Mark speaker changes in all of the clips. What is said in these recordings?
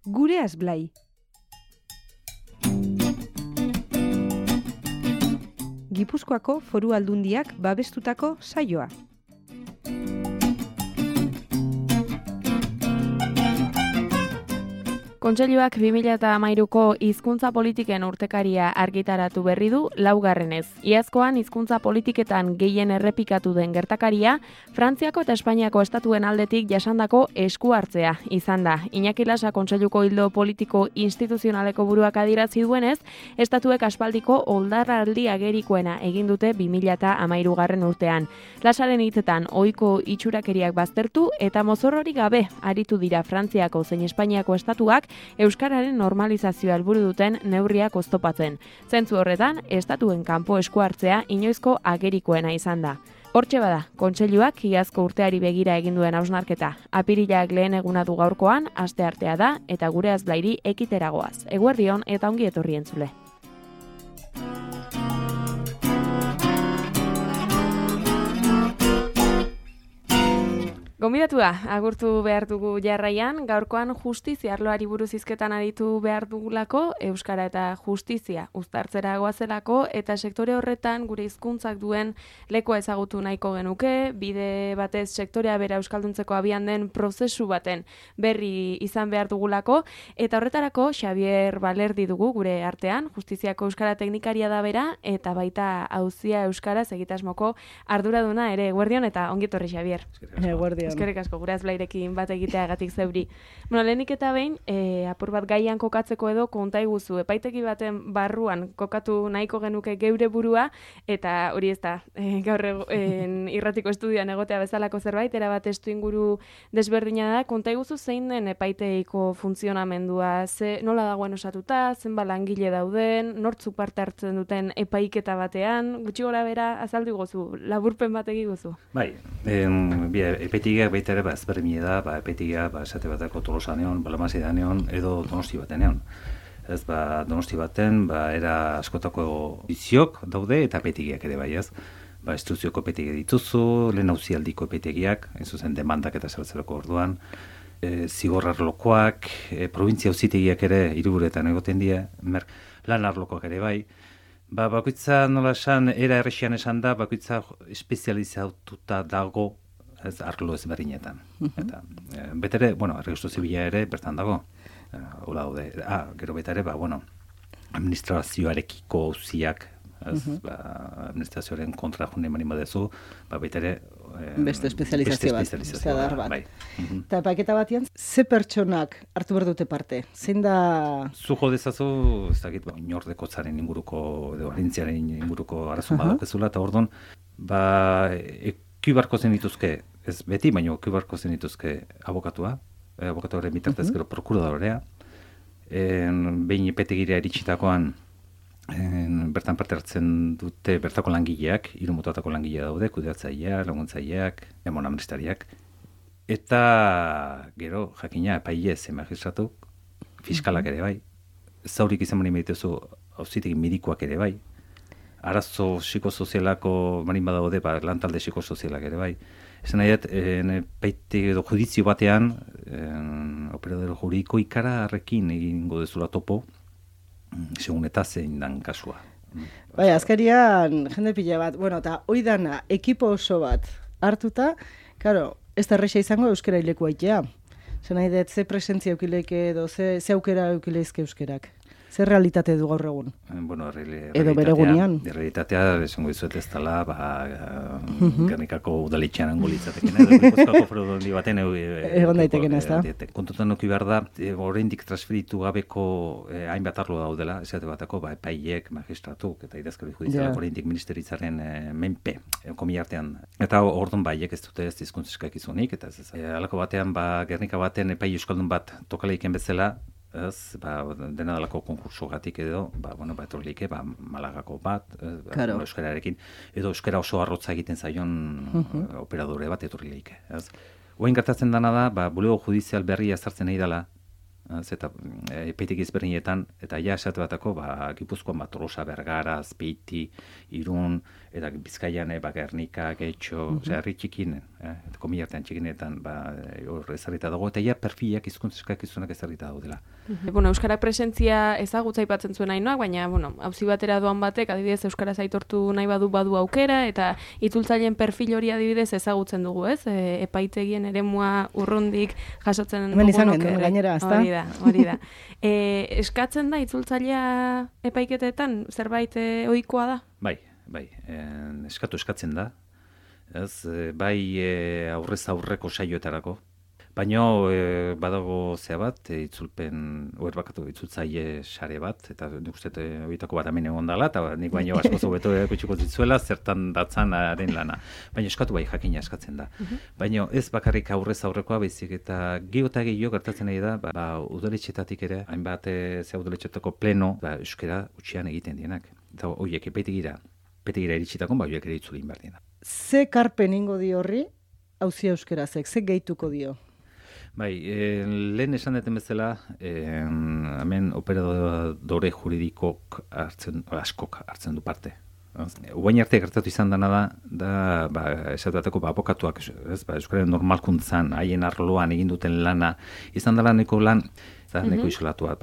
Speaker 1: Gureaz Blai. Gipuzkoako Foru Aldundiak babestutako saioa.
Speaker 2: Kontseiluak 2013ko hizkuntza politiken urtekaria argitaratu berri du laugarrenez. Iazkoan hizkuntza politiketan gehien errepikatu den gertakaria, Frantziako eta Espainiako estatuen aldetik jasandako esku hartzea izan da. Iñaki Lasa kontseiluko ildo politiko instituzionaleko buruak adierazi duenez, estatuek aspaldiko oldarraldi agerikoena egin dute 2013 urtean. Lasaren hitzetan ohiko itxurakeriak baztertu eta mozorrorik gabe aritu dira Frantziako zein Espainiako estatuak euskararen normalizazioa helburu duten neurriak oztopatzen. Zentzu horretan, estatuen kanpo esku hartzea inoizko agerikoena izan da. Hortxe bada, kontseiluak iazko urteari begira egin duen hausnarketa. Apirilak lehen eguna du gaurkoan, asteartea da eta Gureaz Blairi ekiteragoaz. Eguerdion eta ongi etorri entzule. Gonbidatua, agurtu behar dugu jarraian, gaurkoan justizia arloari buruz hizketan aditu behar dugulako, euskara eta justizia uztartzera goazelako, eta sektore horretan gure hizkuntzak duen lekoa ezagutu nahiko genuke, bide batez sektorea bera euskalduntzeko abian den prozesu baten berri izan behar dugulako, eta horretarako Xabier Balerdi dugu gure artean, justiziako euskara teknikaria da bera, eta baita auzia euskaraz egitasmoko arduraduna ere. Eguerdion eta ongi etorri, Xabier.
Speaker 1: Eguerdion.
Speaker 2: Eskerrik asko, Gureaz Blairekin bat egiteagatik zeuri. Bueno, lehenik eta behin, apur bat gaian kokatzeko edo konta iguzu, epaitegi baten barruan kokatu nahiko genuke geure burua, eta hori ez da, gaur irratiko estudioan egotea bezalako zerbait, erabat estu inguru desberdina da, konta iguzu zein den epaiteiko funtzionamendua, nola dagoen osatuta, zenba langile dauden, nortzuk parte hartzen duten epaiketa batean, gutxi gora bera azaldu iguzu, laburpen bat egiguzu.
Speaker 3: Bai, epaitegiak baita ere ezberdina da, epaitegia esate batako Tolosanean, Balamazidanean edo Donosti batenean. Ez Donosti baten era askotako iziok daude eta epaitegiak ere bai, ez. Instruzioko epaitegia dituzu, lehen auzialdiko epaitegiak, ez zuzen demandak eta zerbatzerako orduan, zigor arlokoak, provintzia auzitegiak ere hiriburuetan egoten dira, lan arlokoak ere bai. Bakoitza nola esan, era errexian esan da, bakoitza espezializatuta dago ez arlo ezberdinetan. Eta betere, erregistro zibila ere bertan dago. Hola daude. Gero beta ere, administrazioarekiko auziak, administrazioaren kontra june manima dezu, beta ere
Speaker 4: beste espezializazio bat. Eta epaiketa batian, ze pertsonak hartu behar dute parte? Zein da...
Speaker 3: Zujo dezazu, ez dakit, inordeko inguruko, edo arintziaren inguruko arazun badakezula, eta orduan, ekubarko zen dituzke, ez beti, baina ekubarko zen dituzke abokatuaren bitartez gero prokuradorea, behin epaitegira iritsitakoan, bertan parte hartzen dute bertako langileak, hiru motatako langile daude, kudeatzaileak, laguntzaileak, amnestariak, eta gero jakina epailez magistratuk, fiskalak ere bai, zaurik izan bani meditezu auzitegi medikoak ere bai, arazo psikosozialako marin badaude, lantalde psikosozialak ere bai. Esan nahi epaitegi edo judizio batean, operador juridiko ikararekin egingo dezula topo, segun eta zein dan kasua.
Speaker 4: Bai, azkarian jende pila bat, eta hoi dana, ekipo oso bat hartuta, karo, ez da erresa izango euskera hileku aitea. Esan nahi ze presentzia eukileike edo ze aukera eukileizke euskerak. Zer realitate du gaur egun?
Speaker 3: Edo bere gunean? Realitatea, esango dizuet ez dela, Gernikako udaletxean ango litzateken, edo Gipuzkoako Foru Aldundi baten
Speaker 4: egon daiteken ez da.
Speaker 3: Kontutan noki behar da, oraindik transferitu gabeko hainbat arlo daudela, esate batako, epaileek, magistratuk eta idazkari judizialak oraindik ministeritzaren menpe, komila artean. Eta orduan baiek ez dute ez hizkuntza izunik, eta ez halako batean, Gernika baten epaile euskaldun bat tokaleiken bezala, ez, dena dalako konkursogatik edo, etorlike, Malagako bat, euskararekin, edo euskara oso arrotza egiten zaion operadore bat etorrileike. Oain gertatzen dana da, bulego judizial berria ezartzen nahi dela, eta epaitegi ezberdinetan, eta esate batako, Gipuzkoan Tolosa, Bergara, Azpeiti, Irun, eta Bizkaian, Gernika, Getxo, herri txikin, komillartean txikinetan, hor ezarrita dago, eta ja perfilak hizkuntza eskakizunak ezarrita daudela.
Speaker 2: Euskara presentzia ezagutza aipatzen zuen Ainoak, baina, auzi batera doan batek, adibidez, euskaraz aitortu nahi badu aukera, eta itzultzaileen perfil hori adibidez ezagutzen dugu, ez? Epaitegien eremua urrundik jasotzen
Speaker 4: hemen izan genuen gainera, ezta?
Speaker 2: Hori da. Eskatzen da itzultzailea epaiketetan zerbait ohikoa da?
Speaker 3: Bai, eskatzen da. Ez, aurrez aurreko saioetarako. Baina badago zea bat, itzultzaile sare bat, eta nik uste horietako bat hemen egon dela, eta nik baino asko zobeto ekutxiko zitzuela, zertan datzan haren lana. Baina eskatu jakina eskatzen da. Baina ez bakarrik aurrez aurrekoa baizik, eta gehiago gertatzen nahi da, udaletxetatik ere, hainbat udaletxetako pleno, euskara utxian egiten dienak. Eta horiek epetegira iritsitako, horiek ere itzulin behar dienak.
Speaker 4: Ze karpen ingo di horri, auzia euskarazek, ze gehituko dio?
Speaker 3: Lehen esan deten bezala, hemen operadore juridikok askok hartzen du parte. Ubain arte gertatu izan dena da esatuateko abokatuak, euskararen normalkuntzan, haien arloan egin duten lana, izan dela neko lan, neko isolatua,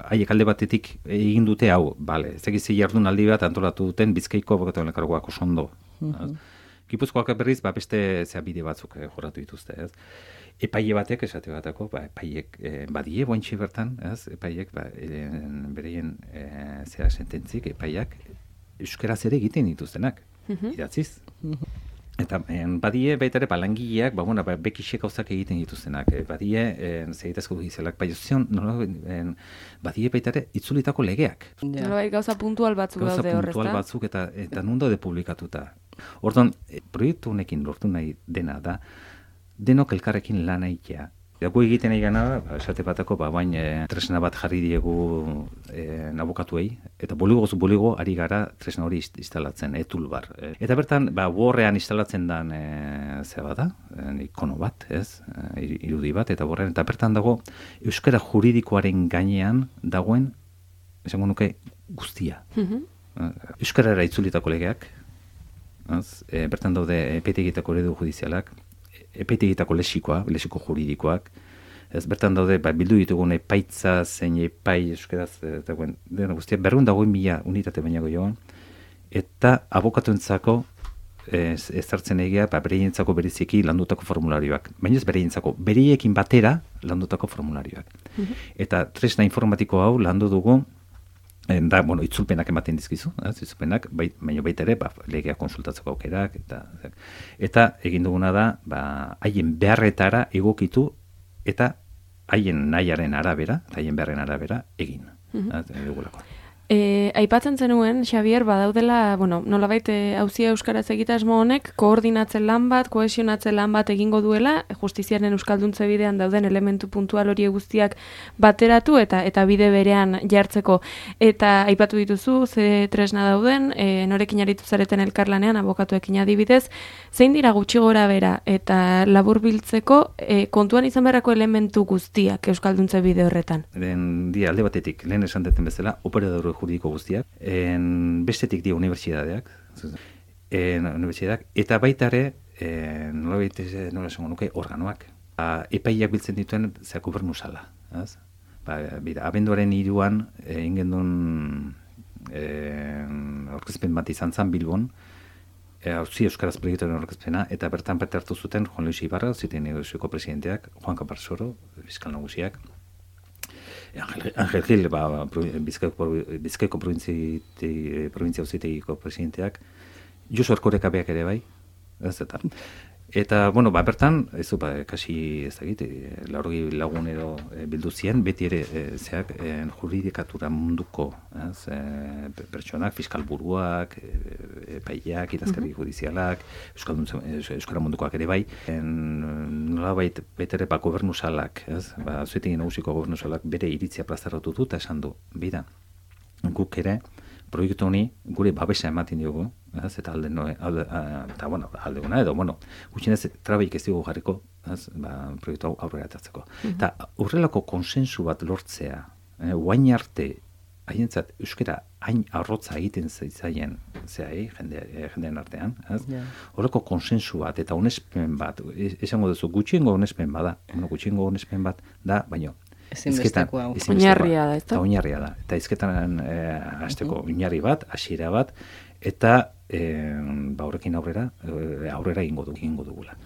Speaker 3: haiek alde batetik egin dute hau, ezagizi jardun aldi bat antolatu duten Bizkaiko abokatuen elkargoak oso ondo. Gipuzkoak berriz, beste bide batzuk jorratu dituzte, ez? Epaile batek, esate batako, epaiek badie bointxe bertan, ez? Epaiek bereien sententzik, epaiak euskaraz ere egiten dituztenak, idatziz. Eta badie baita ere langileak, bekixek gauzak egiten dituztenak, badie segitazko gizelak, badie baita ere itzulitako legeak.
Speaker 2: Gauza puntual batzuk daude horrezta.
Speaker 3: Gauza puntual batzuk eta nun daude publikatuta. Orduan, proiektu honekin lortu nahi dena da, denok elkarrekin lan egitea. Gu egiten egana da, esate batako, tresna bat jarri diegu abokatuei, eta boligo ari gara tresna hori instalatzen, toolbar. Eta bertan, Wordrean instalatzen den ikono bat, irudi bat, eta Wordrean, eta bertan dago, euskara juridikoaren gainean dagoen, esango nuke, guztia. Euskarara itzulitako legeak, bertan daude epetegitako eredu judizialak, epetegitako lexiko juridikoak, bertan daude bildu ditugun epaitza, zein epai euskaraz, dena guztia, 200.000 unitate bainago joan, eta abokatuentzako ezartzen egia, bereientzako bereziki landutako formularioak. Baina ez bereientzako, bereiekin batera landutako formularioak. Eta tresna informatiko hau landu dugu, itzulpenak ematen dizkizu, itzulpenak, baina baita ere, legea konsultatzeko aukerak, eta egin duguna da, haien beharretara egokitu, eta haien nahiaren arabera, haien beharren arabera egin.
Speaker 2: Aipatzen zenuen, Xabier, badaudela, nolabait auzia euskaraz egitasmo honek, koordinatzen lan bat, kohesionatzen lan bat egingo duela, justiziaren euskalduntze bidean dauden elementu puntual hori guztiak bateratu eta bide berean jartzeko. Eta aipatu dituzu, ze tresna dauden, norekin aritu zareten elkarlanean, abokatuekin adibidez, zein dira gutxi gora bera eta laburbiltzeko kontuan izan beharrako elementu guztiak euskalduntze bide horretan?
Speaker 3: Alde batetik, lehen esan deten bezala, operadore juridiko guztiak, bestetik dio unibertsitateak, eta baita ere, nola esango nuke, organoak. Epaiak biltzen dituen gobernu sala. Abenduaren 3 egin gendun aurkezpen bat izan zen Bilbon, auzi euskaraz proiektuaren aurkezpena, eta bertan parte hartu zuten Juan Luis Ibarra, auzitegi nagusieko presidenteak, Juan Caparsoro, fiskal nagusiak, Angel Gil, Bizkaiko provintzia auzitegiko presidenteak, Josu Erkoreka beak ere bai, eta, bertan, kasi, ez dakit, 80 lagun edo bildu ziren, beti ere, juridikatura munduko, pertsonak, fiskal buruak, epaileak, idazkari judizialak, euskara mundukoak ere bai, nolabait, beti ere, gobernu salak, auzitegi nagusiko gobernu salak, bere iritzia plazaratu du, eta esan du, bida, guk ere, proiektu honi gure babesa ematen diogu, eta aldeguna edo, gutxinez trabaik ez dugu jarriko, proiektu hau aurrera atatzeko. Eta horrelako konsensu bat lortzea, guain arte, haientzat euskara hain arrotza egiten zaien jendean artean, ez? Horreko konsensu bat eta onespen bat, esango duzu, gutxiengo onespen bada, gutxiengo onespen bat da, baino
Speaker 2: oinarria da, ezta?
Speaker 3: Oinarria da. Eta hizketan hasteko oinarri bat, hasiera bat, eta horrekin aurrera egingo dugula.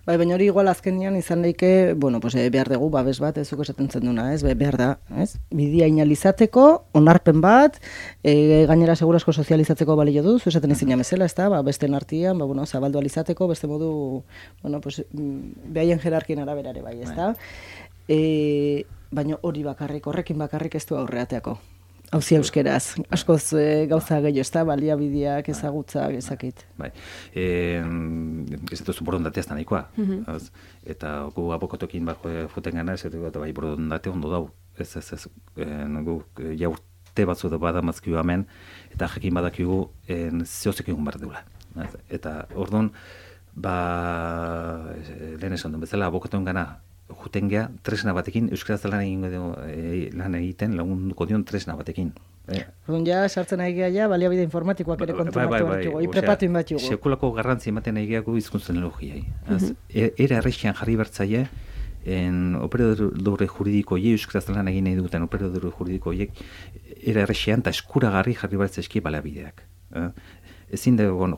Speaker 4: Bai, baina hori igual azkenian izan daike, behar dugu babes bat, ezuk esaten zen duna, ez? Behar da, ez? Bidia inalizateko, onarpen bat, gainera segurasko sozializatzeko balio du, esaten ezin jamezela, ez da? Besten artian, zabaldu alizateko, beste modu, behaien jerarkien araberare bai, ez da? Baina hori bakarrik, horrekin bakarrik ez du aurreateako. Hauzi euskeraz, askoz gauza gehiago, ez da, baliabideak, ezagutzak, ezakit.
Speaker 3: Bai, ez duzu borondatea ez da nahikoa. Eta gu abokatokin juten gana, ez dut, bai, borondate ondo dau. Ez, gu jaurte batzu da badamazkiu hemen, eta jakin badakigu zehozek egun behar deula. Eta orduan, lehen esan duen bezala, abokatuen gana, juten geha, tresna batekin, euskaraz lan egiten, lagunduko dion tresna batekin.
Speaker 4: Orduan ja, sartzen nahi geha, baliabide informatikoak ere kontumatu hartugu, ipepatu inbatugu.
Speaker 3: Sekulako garrantzi ematen nahi gehago izkuntzen elogiai. Era errexian jarri bertzaie, operadore juridiko euskaraz lan egin nahi duten operadore juridiko era errexian eta eskuragarri jarri bertzaizki baliabideak. Ezin da egon,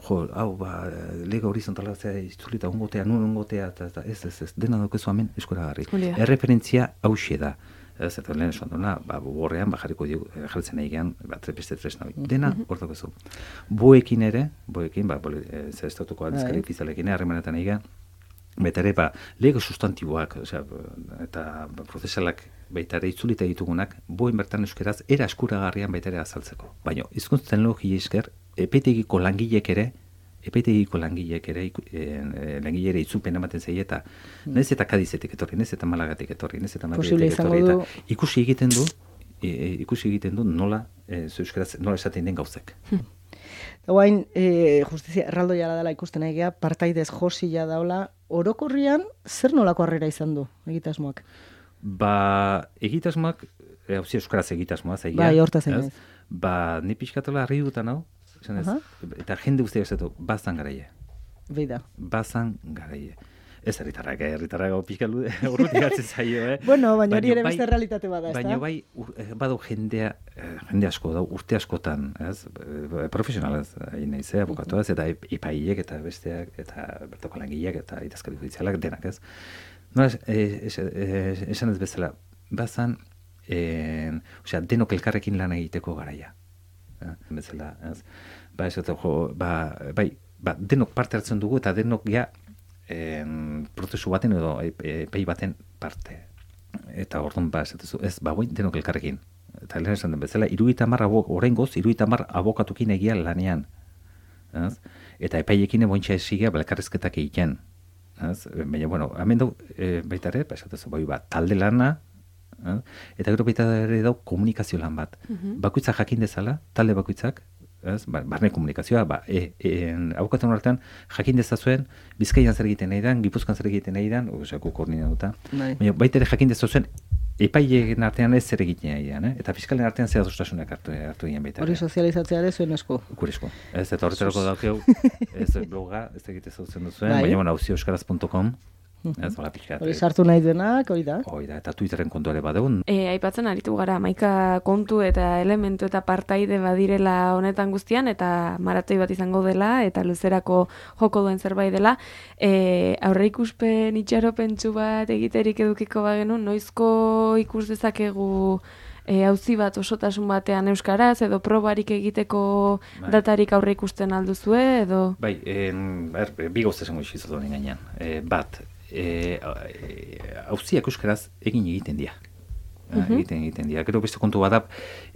Speaker 3: lega horizontala itzulita ongotea, nun ongotea, eta ez, dena daukezu hemen eskuragarri. Erreferentzia hauxe da. Ez, eta lehen esan duena, borrean, jarritzen nahi gehan, beste tresna hori. Dena, hor daukezu. Boekin, estatuko aldizkari ofizialekin harremanetan nahi gehan, baita ere, lego sustantiboak, eta prozesalak baita ere itzulita ditugunak, boen bertan euskeraz, era eskuragarrian baita ere azaltzeko. Baina, hizkuntza teknologia esker, epetegiko langileek ere langilere itzupen ematen zei eta nez eta Kadizetik etorri, nez eta Malagatik etorri, nez eta Madridetik etorri, eta ikusi egiten du nola euskaraz nola esaten den gauzek.
Speaker 4: Guain, justizia erraldoia dela ikusten egea, partaidez josila daula, orokorrian zer nolako harrera izan du egitasmoak?
Speaker 3: Egitasmoak, hauzi euskaraz egitasmoa zaila.
Speaker 4: Bai, hortaz egin.
Speaker 3: Ni pixkatola harri dutan hau, eta jende guztiak esatu, bazan garaie.
Speaker 4: Beida.
Speaker 3: Bazan garaie. Ez herritarrak pixkalu urrutik hartzen zaio,
Speaker 4: Bueno, baina hori ere beste realitate bada, ez da?
Speaker 3: Baina badu jende asko da, urte askotan, profesionalaz, nahiz, abokatuaz, eta epaileek eta besteak, eta bertoko langileak, eta idazkari judizialak, denak, ez? No, esan ez bezala, bazan, denok elkarrekin lan egiteko garaia. Bezala, ez? Denok parte hartzen dugu eta denok ja prozesu baten edo epai baten parte. Eta orduan ez, denok elkarrekin. Eta lehen esan den bezala, 70 abokatukin egia lanean. Ez? Eta epaiekin ebointxa esigea elkarrezketak egiten. Baina, hemen du, baita ere, talde lana, eta gero baita ere dau komunikazio lan bat. Bakoitzak jakin dezala, talde bakoitzak, barne komunikazioa, abokatuen artean jakin dezazuen, Bizkaian zer egiten nahi dan, Gipuzkoan zer egiten nahi dan, koordinatuta. Baina baita ere jakin dezazuen, epaileen artean ez zer egiten nahi dan, eta fiskalen artean zer adostasunak hartu egin baita.
Speaker 4: Hori sozializatzea ere zuen esku.
Speaker 3: Gure esku. Ez, eta horretarako daukeu, ez bloga, ez egite zautzen duzuen, baina auzioeuskaraz.com.
Speaker 4: Hori sartu nahi denak, hori da.
Speaker 3: Eta Twitterren kontu ere badegun.
Speaker 2: Aipatzen aritu gara, hamaika kontu eta elementu eta partaide badirela honetan guztian, eta maratoi bat izango dela, eta luzerako joko duen zerbait dela. Aurreikuspen itxaropentsu bat egiterik edukiko bagenu, noizko ikus dezakegu auzi bat osotasun batean euskaraz, edo probarik egiteko datarik aurre ikusten alduzue, edo?
Speaker 3: Bai, bi gauzta esango izizatu honen gainean. Bat, auziak euskaraz egiten dira. Egiten dira. Gero beste kontu badap,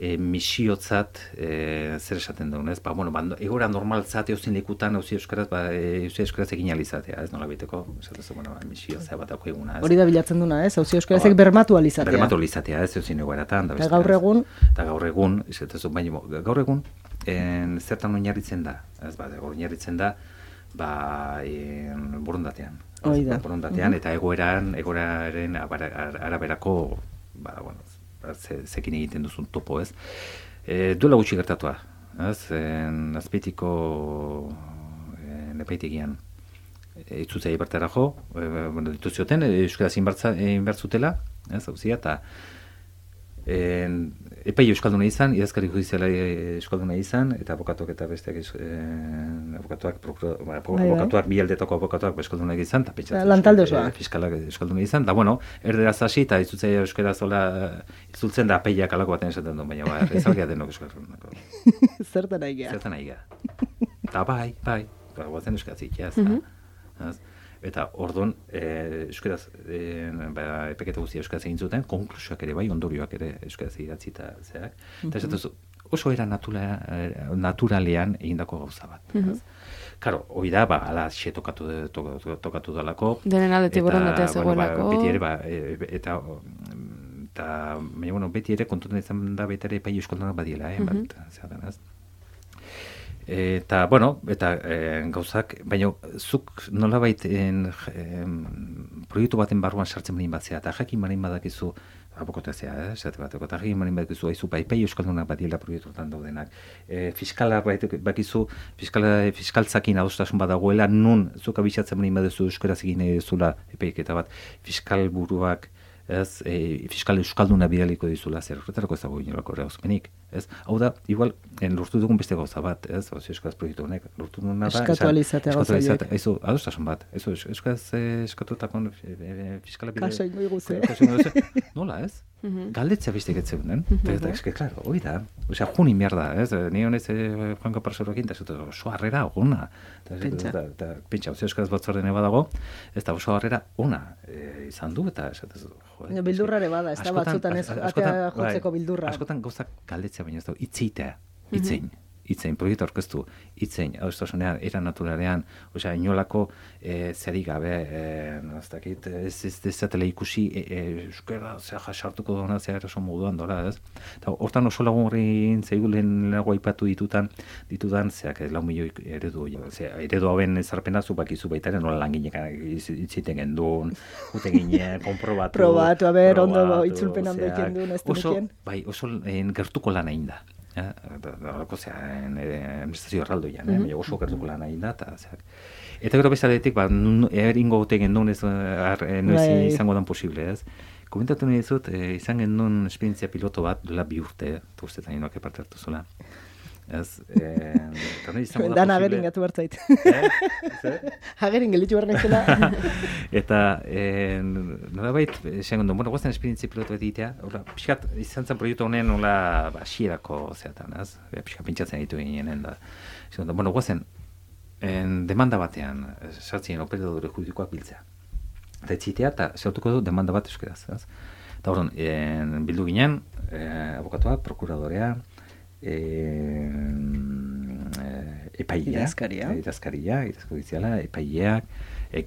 Speaker 3: misiotzat, zer esaten daun, ez? Egora normaltzat eozin lekutan auzi euskaraz egin alizatea, ez nola biteko, misiotzat bat dauko eguna.
Speaker 4: Hori da bilatzen duna, ez? Auzi euskarazek bermatu alizatea.
Speaker 3: Bermatu alizatea, ez eozin egoeratan.
Speaker 4: Eta gaur egun?
Speaker 3: Eta gaur egun, gaur egun, zertan oinarritzen da, ez oinarritzen da, borondatean. Borondatean, eta egoeraren araberako zekin egiten duzun topo, ez? Duela gutxi gertatua, ez? Azpeitiko epaitegian itzutzea bertara jo, dituzioten, euskaraz inbertzutela, ez, hauzia, eta epai euskalduna izan, idazkari judiziala euskalduna izan, eta abokatuak eta besteak abokatuak bi aldetako abokatuak euskaldunak izan, eta pentsatzen fiskalak euskalduna izan, da bueno, erderaz hasi, eta itzultzea euskara zola itzultzen da apeiak alako baten esaten du, baina ez algia denok euskaldunako.
Speaker 4: Zertan aigea.
Speaker 3: Zertan aigea. Eta bai, guazen euskaraz ikia, eta orduan, euskaraz, epeketa guztia euskaraz egin zuten, konklusioak ere bai, ondorioak ere euskaraz idatzi eta zeak. Eta esatu oso era naturalean egindako gauza bat. Karo, hori da, ala xe tokatu dalako.
Speaker 2: Denen aldetik borondatea zegoelako.
Speaker 3: Beti ere, eta baina, beti ere kontutan izan da beti ere epai euskaldunak badiela, bat, zeadan, ez? Eta, eta gauzak, baina zuk nolabait proiektu baten barruan sartzen marin batzea, eta jakin marin badakizu, abokotazea, esate bateko, eta jakin marin badakizu, haizu, epai euskaldunak badiela proiektuetan daudenak. Fiskala bakizu, fiskaltzakin adostasun badagoela, nun zuk abitzatzen marin baduzu euskaraz egin nahi duzula epaiketa bat, fiskal buruak, ez, fiskal euskalduna bidaliko dizula, zer horretarako ez dago inolako eragozpenik, ez? Hau da, igual, lortu dugun beste gauza bat, ez? Euskaraz proiektu honek, lortu duguna da...
Speaker 4: Eskatualizatea gauza horiek.
Speaker 3: Aizu, adostasun bat, euskaraz eskatutakon fiskala bidea...
Speaker 4: Kaso ingo iguze.
Speaker 3: Nola, ez? Galdetzea bestek etzeunen, eta eske, klaro, hori da, osea, juni mierda, ez? Ni honez, Juanko Parsorokin, eta zute, oso harrera, ona. Pentsa, euskaraz batzordene badago, ez da oso harrera, ona izan du, eta esatez,
Speaker 4: bildurrare bada, ez da batzutan ez atea jotzeko bildurra.
Speaker 3: Askotan gauzak galdetzea baina ez da, itzein, proiektu aurkeztu, itzein, adostasunean, era naturalean, osea, inolako zeri gabe, ez zatela ikusi, euskera, sartuko duna, oso moduan dola, ez? Eta hortan oso lagun zeigu lehenago aipatu ditudan, zeak, 4 milioi eredu, eredu hauen ezarpena zu bakizu baitaren, nola langinek itziten gendun, jute ginen, konprobatu.
Speaker 4: Probatu, ondo itzulpen handoik gendun, ez dukien.
Speaker 3: Bai, oso gertuko lan egin da. Horako administrazio erraldoian, oso gertuko lan egin da, eta gero bezaletik, eringo gote gendun ez izango dan posible, ez? Komentatu nahi dizut, izan gendun esperientzia piloto bat, duela 2 urte, eta ustetan inoak parte hartu zula. Ez,
Speaker 4: Dan agerin gatu bertzait. Agerin gelitzu behar naizela.
Speaker 3: Eta, nolabait, esan gondun, guazten esperientzia pilotu bat egitea, pixkat, izan zen proiektu honen, xierako zeatan, ez? Pixkat pentsatzen ditu ginen, da. Esan gondun, guazten, demanda batean, sartzen operadore juridikoak biltzea. Eta etzitea, eta zautuko du demanda bat euskaraz, ez? Eta horren, bildu ginen, abokatua, prokuradorea,
Speaker 4: idazkaria,
Speaker 3: idazkodiziala, epaileak,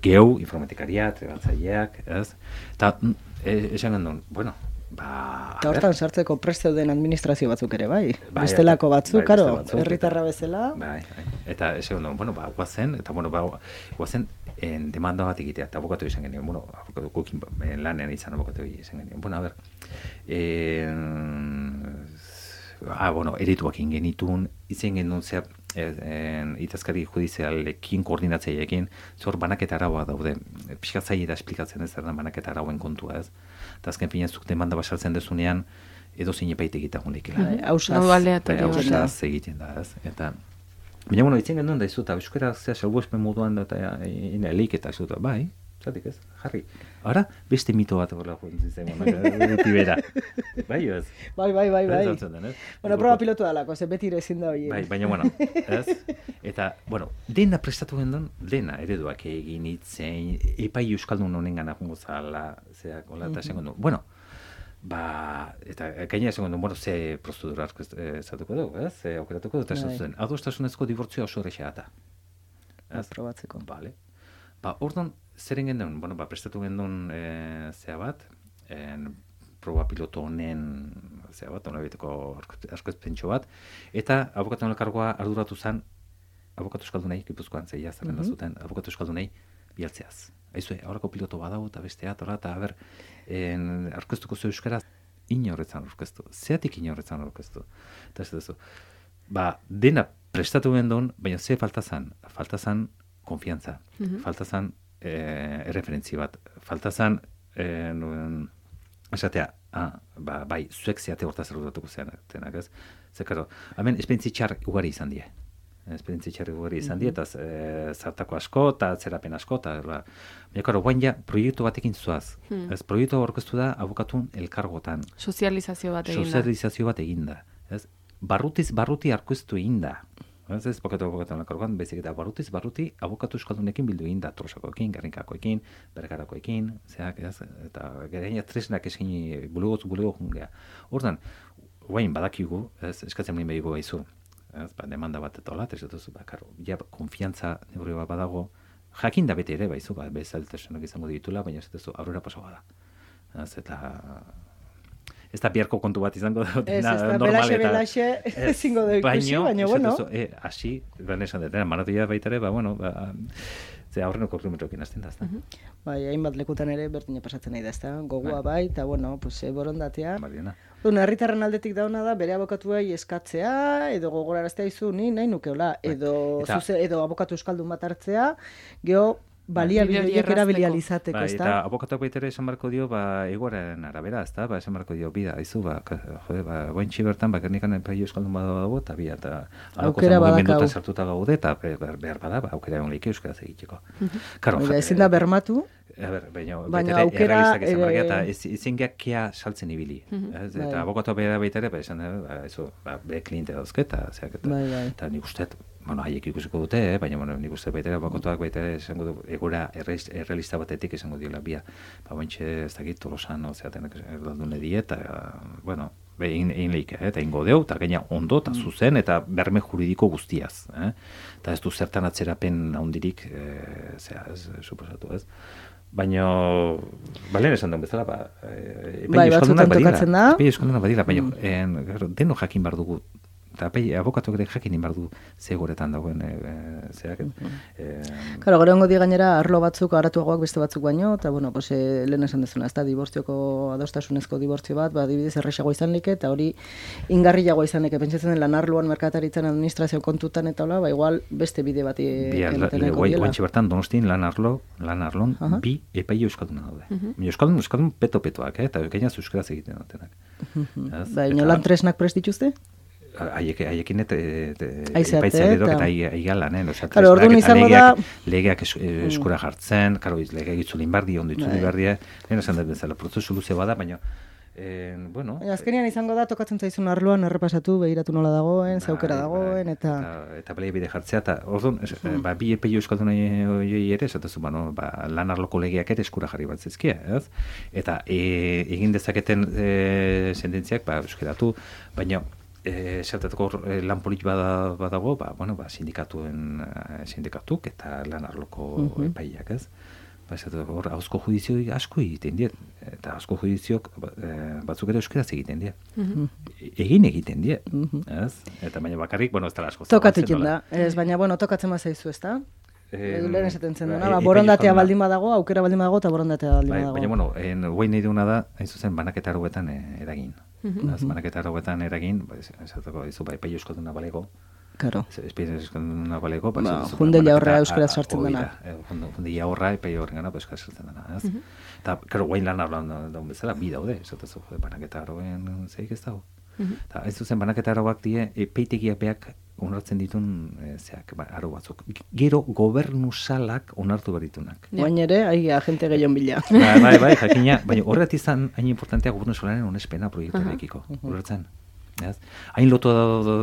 Speaker 3: geu, informatikaria, trebatzaileak, ez? Eta, esan gendun,
Speaker 4: eta hortan sartzeko prest zeuden administrazio batzuk ere, bai? Bestelako batzuk, karo, herritarra bezala.
Speaker 3: Bai, eta esan gendun, guazen, eta guazen demanda bat egitea, eta abokatu izan genien, abokatu lanean izan abokatu izan genien. A ber, erituak ingenitun, izen genuen zea, itazkari judizialekin, koordinatzaileekin, zor banaketa araua daude, pixkatzaile da esplikatzen ez da banaketa arauen kontua ez. Eta azken finean zuk demanda basaltzen dezunean, edo zine paite egitagun lekila. Hausaz egiten da ez. Eta, baina, itzen genuen da izu, eta euskara zea salbuespen moduan da, eta elik eta izu, bai, zatik ez, jarri. Ara, beste mito bat horrela joan zen, tibera. Bai, ez?
Speaker 4: Bai. Proba pilotu dalako, ze beti ere ezin da hori.
Speaker 3: Bai, baina, ez? Eta, dena prestatu gendun, dena ereduak egin itzen, epai euskaldun honen gana jongo zala, zeak, hola, eta esan gendun. Eta gaina esan gendun, ze prozedura zatuko dugu, ez? Ze aukeratuko dut, esan zuten, adostasunezko dibortzioa oso horrexea eta.
Speaker 4: Probatzeko.
Speaker 3: Bale. Orduan, zeren gendun, prestatu gendun zea bat, proba piloto honen zea bat, hona biteko asko ezpentso bat, eta abokatu elkargoa arduratu zen, abokatu euskaldunei, Gipuzkoan zeia zerrenda zuten, abokatu euskaldunei bialtzeaz. Aizue, aurrako piloto badau eta bestea, eta aber, arkeztuko zu euskaraz, inorretzan aurkeztu. Zeatik inorretzan aurkeztu. Eta ez duzu. Dena prestatu gendun, baina ze falta zan konfiantza, falta zan erreferentzi bat, falta zan esatea, bai, zuek zeate hortaz errutatuko zenak, ez? Zekaro, hemen esperientzi txar ugari izan die. Eta zartako asko, eta zerapen asko, eta guain ja, proiektu batekin zuaz. Ez, proiektu aurkeztu da abokatun elkargotan.
Speaker 2: Sozializazio bat eginda.
Speaker 3: Ez, barruti aurkeztu eginda. Ez, abokatun elkargoan, bezik eta barruti abokatu euskaldunekin bildu eginda, Tolosakoekin, Gerrinkakoekin, Bergarakoekin, eta gereina tresnak eskini bulego jungea. Hortan, guain badakigu, eskatzen lehen behigu gaizu, demanda bat eta hola, ez duzu, konfiantza neurri bat badago, jakin da bete ere, baizu, bezaltasunak izango ditula, baina ez duzu, aurrera paso bada. Ez da biharko kontu bat izango da, normal eta...
Speaker 4: Belaxe ezingo da ikusi, baina, bueno.
Speaker 3: Asi, esan dut, manatia baita ere, ze aurrenoko kilometroekin hasten da, ezta?
Speaker 4: Bai, hainbat lekutan ere berdina pasatzen nahi da, ezta? Gogoa bai, eta bueno, borondatea.
Speaker 3: Badiena.
Speaker 4: Herritarren aldetik dauna da, bere abokatuei eskatzea, edo gogoraraztea izu, ni nahi nukeola, edo abokatu euskaldun bat hartzea, geho, baliabideak erabilializateko, ezta?
Speaker 3: Eta abokatuak baitere esan barko dio, egoaren arabera, ezta? Esan barko dio, bida, izu, gointxi bertan, gernikan epaio euskaldun badago, eta bia, eta
Speaker 4: aukera badakau.
Speaker 3: Sartuta gaude, eta behar bada, aukera egon leike euskaraz egiteko.
Speaker 4: Ezin da bermatu,
Speaker 3: baina aukera eta ezin geakia saltzen ibili. Eta abokatu baitere, esan bere kliente dauzke, eta nik usteet, haiek ikusiko dute, baina nik uste baitere abokatuak baitere esango du, egora errealista batetik esango diola bia. Baintxe ez dakit, Tolosan, zeatenak erdaldune die, eta, egin lehike, eta ingo deu, eta gaina ondo, eta zuzen, eta berme juridiko guztiaz. Eta ez du zertan atzerapen handirik, suposatu ez. Baina, balen esan duen bezala,
Speaker 4: batzutan tokatzen da.
Speaker 3: Euskaldunak badira, baina, deno jakin behar dugu, eta abokatuak ere jakin behar du zegoretan dagoen zeak.
Speaker 4: Gero hongo di gainera, arlo batzuk, aratuagoak beste batzuk baino, eta, lehen esan dezuna, ez da, dibortzioko adostasunezko dibortzio bat, adibidez errexagoa izan leke, eta hori ingarriagoa izan leke, pentsatzen den lan arloan, merkataritzan, administrazio kontutan, eta hola, igual beste bide bat emateneko diela.
Speaker 3: Guantxe bertan, Donostin lan arlon, bi epaio euskalduna daude. Euskaldun peto-petoak, eta gainaz euskaraz egiten dutenak.
Speaker 4: Baina lan tresnak prest dituzte?
Speaker 3: Haiekin epaitzea edok eta aigalan,
Speaker 4: orduan izango da...
Speaker 3: Legeak eskura jartzen, legeak itzulin bardi, ondo itzulin bardi, lehen esan dut bezala, prozesu luze bada, baina,
Speaker 4: azkenean izango da, tokatzen zaizun arloan errepasatu, behiratu nola dagoen, zaukera dagoen, eta...
Speaker 3: Eta bide jartzea, eta orduan, bi epeio euskaldun ere, esatuzu, lan arloko legeak ere eskura jarri bat zezkia, ez? Eta egin dezaketen sententziak, euskeratu, baina, zertatuko lan politik badago, sindikatuk eta lan arloko epaiak, ez? Hor, hauzko judizioik asko egiten diet, eta hauzko judiziok batzuk ere euskeraz egiten diet. Egiten diet, ez? Eta baina bakarrik, ez dara asko.
Speaker 4: Tokatzen da, ez, baina, tokatzen mazaizu, ez da? Lehen esaten zen duna, borondatea baldin badago, aukera baldin badago, eta borondatea baldin badago.
Speaker 3: Baina, guain nahi duguna da, hain zuzen, banaketa arauetan eragin. Banaketa arauetan eragin, esateko, epaio euskalduna balego.
Speaker 4: Claro.
Speaker 3: Epaio euskalduna balego.
Speaker 4: Jundela horra euskaraz sartzen dena.
Speaker 3: Jundela horra, epaio horren gana, euskaraz sartzen dena. Eta, guain lan arauan daun bezala, bi daude, esateko, banaketa arauen zeik ez dago. Eta ez zuzen banaketa arauak die, epeitegiak beak onartzen ditun arau batzuk. Gero gobernu salak onartu beritunak.
Speaker 4: Guain ere, agente gehion bila.
Speaker 3: Bai, jakina, baina horret izan hain importantea gobernu salaren onespena proiektuarekiko. Horretzen. Hain lotu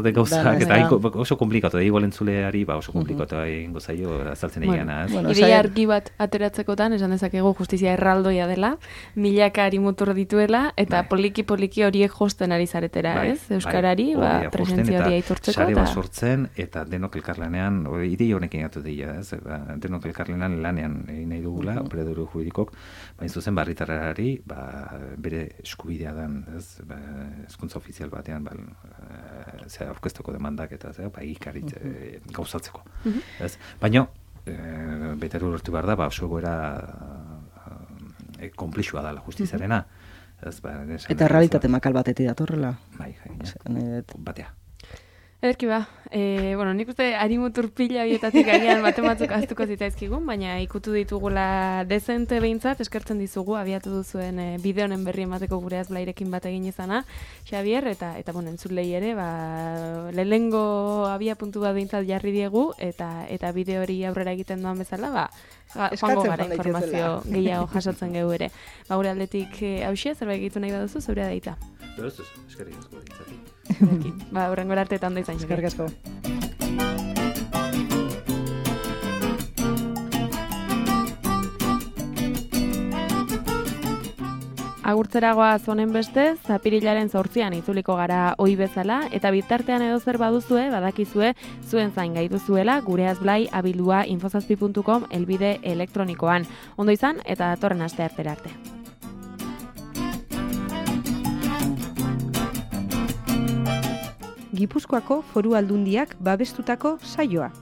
Speaker 3: de gauzak, eta oso komplikatu, igual entzuleari oso komplikatu egingo zaio azaltzen egin.
Speaker 2: Ideia argi bat ateratzekotan, esan dezakegu justizia erraldoia dela, milakari mutur dituela, eta poliki horiek josten ari zaretera, ez? Euskarari, presentzia hori aitortzeko.
Speaker 3: Sare bat sortzen, eta denok elkarlanean, idei honekin gatu deia, ez? Denok elkarlanean lanean egin nahi dugula, operadore juridikok, baina zuzen barritarrari, bere eskubidea den, ez? Hezkuntza ofizial batean, aurkezteko demandak eta gauzatzeko. Baina, beteru lortu behar da, oso egoera konplexua da la justiziarena. Ez,
Speaker 4: Eta realitate makal batetik datorrela.
Speaker 3: Bai, batea.
Speaker 2: Ederki ba, nik uste harimu turpila horietatik agian batzuk aztuko zitzaizkigun, baina ikutu ditugula dezente behintzat, eskertzen dizugu, abiatu duzuen bide honen berri emateko gure azblairekin bat egin izana, Xabier, eta entzulei ere, lehengo abia puntu bat behintzat jarri diegu, eta bide hori aurrera egiten doan bezala, joango gara informazio gehiago jasotzen gehu ere. Gure aldetik hausia, zerbait egitu nahi baduzu, zeurea daita.
Speaker 3: Eskerrik asko ditzatik.
Speaker 2: Horrengora artetan da izan.
Speaker 4: Eskerrik asko.
Speaker 2: Agurtzeragoa zonen bestez, apirilaren 8an itzuliko gara ohi bezala, eta bitartean edo zer baduzue, badakizue, zuen zain gai duzuela, gure azblai@infozazpi.com elbide elektronikoan. Ondo izan, eta datorren aste arte.
Speaker 1: Gipuzkoako Foru Aldundiak babestutako saioa.